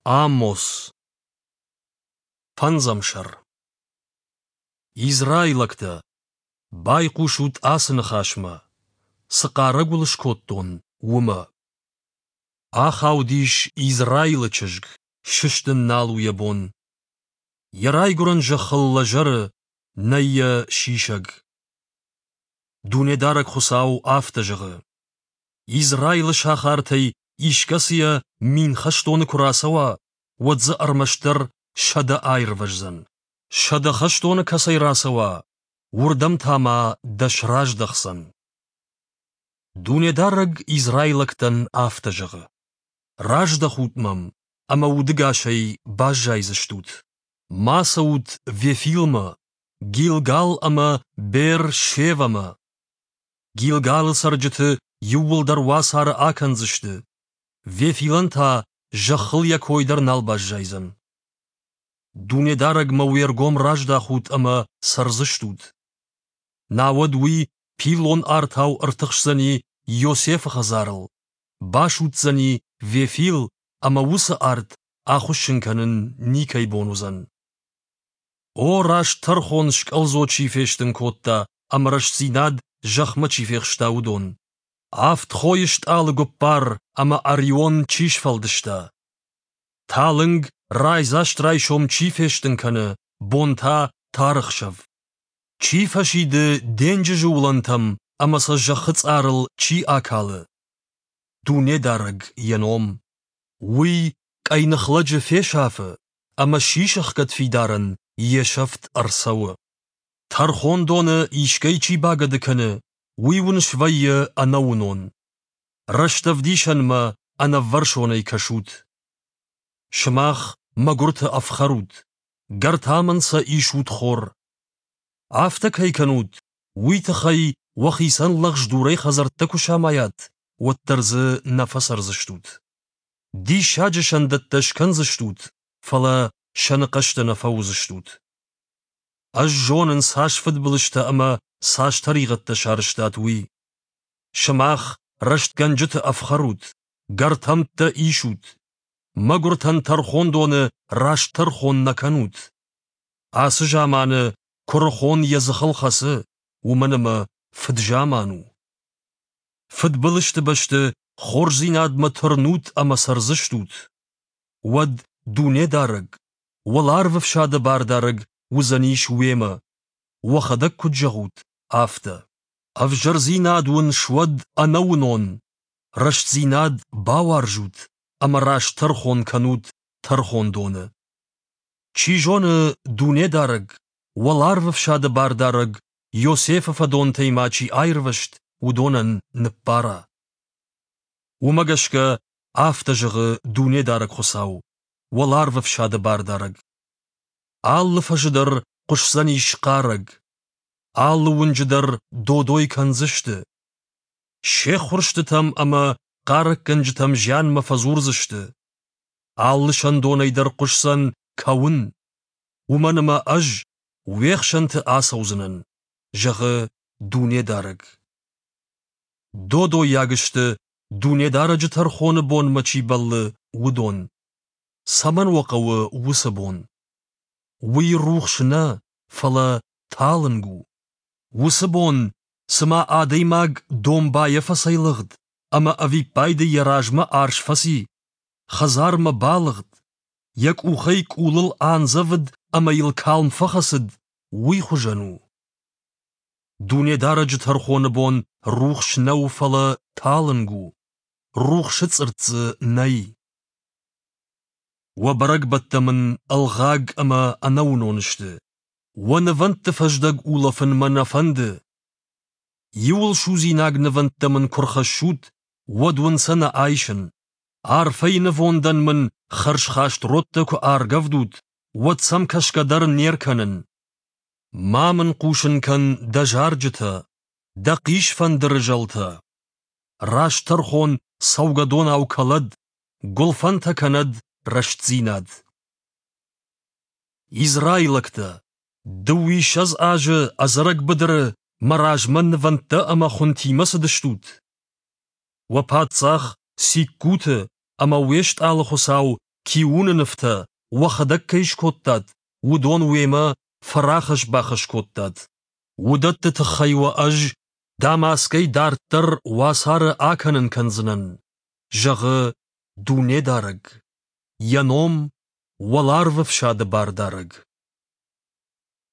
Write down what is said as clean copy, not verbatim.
Амос. Фӕндзӕм сӕр. Израилӕгтӕ, байхъусут ацы ныхасмӕ, цы хъарӕг уыл скодтон, уымӕ. Ахаудис Израилы чызг, сыстын нал у йӕ бон. Йӕ райгуырӕн зӕххыл лӕзӕры, нӕй йӕ сисӕг. Дунедарӕг Хуыцау афтӕ зӕгъы: Израилы сахартӕй искӕцыйӕ 1000 хӕстоны куы рацӕуа, уӕд дзы ӕрмӕстдӕр 100 аирвӕздзӕн. 100 хӕстоны кӕцӕй рацӕуа, уырдӕм та ма 10 раздӕхдзӕн. Дунедарӕг израилӕгтӕн афтӕ зӕгъы: Раздӕхут мӕм, ӕмӕ удӕгасӕй баззайдзыстут. Ма цӕут Вефилмӕ, Гилгал ӕмӕ Беер-Шевӕмӕ. Гилгалы цӕрджыты иууылдӕр уацары акӕндзысты, Вефилӕн та зӕххыл йӕ кой дӕр нал баззайдзӕн. Дунедарӕгмӕ уе ргом раздахут ӕмӕ цӕрдзыстут. Науӕд уый пиллон артау ӕртыхсдзӕни Йосефы хӕдзарыл, басудздзӕни Вефил ӕмӕ уыцы арт ахуыссын кӕнын никӕй бон уыдзӕн. О, раст тӕрхон скъӕлдзо чи фестын кодта ӕмӕ рӕстдзинад зӕхмӕ чи фехста, уыдон! Авд хойы стъалы гуппар ӕмӕ Орион чи сфӕлдыста! Талынг, райдзаст райсом чи фестын кӕны, бон та тары хсӕв! Чи фӕсиды денджызы уылӕнтӕм ӕмӕ сӕ зӕххы цъарыл чи акалы? Дунедарӕг йӕ ном. Уый къӕйных лӕджы фесафы, ӕмӕ сисӕхгӕд фидарӕн йе сӕфт ӕрцӕуы. Тӕрхондоны искӕй чи багӕды кӕны, уый уын свӕййы ӕнӕуынон. Рӕстӕвдисӕнмӕ ӕнӕввӕрсонӕй кӕсут. Сымах мӕгуырты ӕфхӕрут, гӕртамӕн сӕ исут хор. Афтӕ кӕй кӕнут, уый тыххӕй уӕхицӕн лӕгъз дурӕй хӕдзӕрттӕ куы самайат, уӕддӕр дзы нӕ фӕцӕрдзыстут. Диссаджы сӕндӕттӕ скӕндзыстут, фӕлӕ сӕны хъӕстӕ нӕ фӕуыдзыстут. Ӕз зонын, цас фыдбылызтӕ ӕмӕ цас тӕригъӕдтӕ сарӕзтат, уый. Сымах рӕстгӕнджыты ӕфхӕрут, гӕртӕмттӕ исут. Мӕгуыртӕн тӕрхондоны раст тӕрхон нӕ кӕнут. Ацы заманы куырыхон йӕ дзыхыл хӕцы, уымӕн ӕмӕ фыд-заман у. Фыдбылызты бӕсты хорздзинадмӕ тырнут ӕмӕ цӕрдзыстут. Уӕд Дунедарӕг, уӕларвы фсады бардарӕг уыдзӕнис уемӕ, уӕхӕдӕг куыд зӕгъут, афтӕ. Ӕвзӕрдзинад уын суӕд ӕнӕуынон, рӕстдзинад бауарзут ӕмӕ раст тӕрхон кӕнут тӕрхондоны. Чи зоны, Дунедарӕг, уӕларвы фсады бардарӕг Йосефы фӕдонтӕй ма чи аирвӕзт, уыдонӕн ныббара. Уымӕ гӕсгӕ афтӕ зӕгъы Дунедарӕг Хуыцау, уӕларвы фсады бардарӕг. Алы фӕзы дӕр хъуысдзӕнис хъарӕг, алы уынджы дӕр додой кӕндзысты. Се ххуырстытӕм ӕмӕ хъарӕггӕнджытӕм зианмӕ фӕдзурдзысты. Алы сӕндонӕй дӕр хъуысдзӕн кӕуын, уымӕн ӕмӕ ӕз уе хсӕнты ацӕудзынӕн, зӕгъы Дунедарӕг. Додойаг сты, Дунедарӕджы тӕрхоны бонмӕ чи бӕллы, уыдон. Цӕмӕн уӕ хъӕуы уыцы бон? Уый рухс нӕ, фӕлӕ талынг у. Уыцы бон, цыма адӕймаг домбайӕ фӕцӕйлыгъд ӕмӕ ӕвиппайды йӕ размӕ арс фӕци, хӕдзармӕ балыгъд, йӕ къухӕй къулыл андзӕвыд ӕмӕ йыл калм фӕхӕцыд, уый хуызӕн у. Дунедарӕджы тӕрхоны бон рухс нӕу, фӕлӕ талынг у, рухсы цъыртт дзы нӕй. Уӕ бӕрӕгбӕттӕ мын ӕлгъаг ӕмӕ ӕнӕуынон сты, уӕ нывӕндты фӕздӕг улӕфын мӕ нӕ фӕнды. Иуылсудзинаг нывӕндтӕ мын куы рхӕссут, уӕд уын сӕ нӕ айсын. Арфӕйы нывондӕн мын хӕрзхаст родтӕ куы аргӕвдут, уӕд сӕм кӕсгӕ дӕр не ркӕнын. Ма мын хъусын кӕн дӕ зарджытӕ, дӕ хъисфӕндыры зӕлтӕ. Раст тӕрхон цӕугӕдонау кӕлӕд, гуылфӕнтӕ кӕнӕд рӕстдзинад. Израилӕгтӕ, 22 азы ӕдзӕрӕг быдыры мӕ размӕ нывӕндтӕ ӕмӕ хуынтимӕ цыдыстут? Уӕ паддзах Сиккуты ӕмӕ уе стъалы хуыцау Киуны нывтӕ, уӕхӕдӕг кӕй скодтат, уыдон уемӕ фӕрахӕсс-бахӕсс кодтат. Уыдӕтты тыххӕй уӕ ӕз Дамаскӕй дарддӕр уацары акӕнын кӕндзынӕн, зӕгъы Дунедарӕг. Йӕ ном — Уӕларвӕфсады Бардарӕг.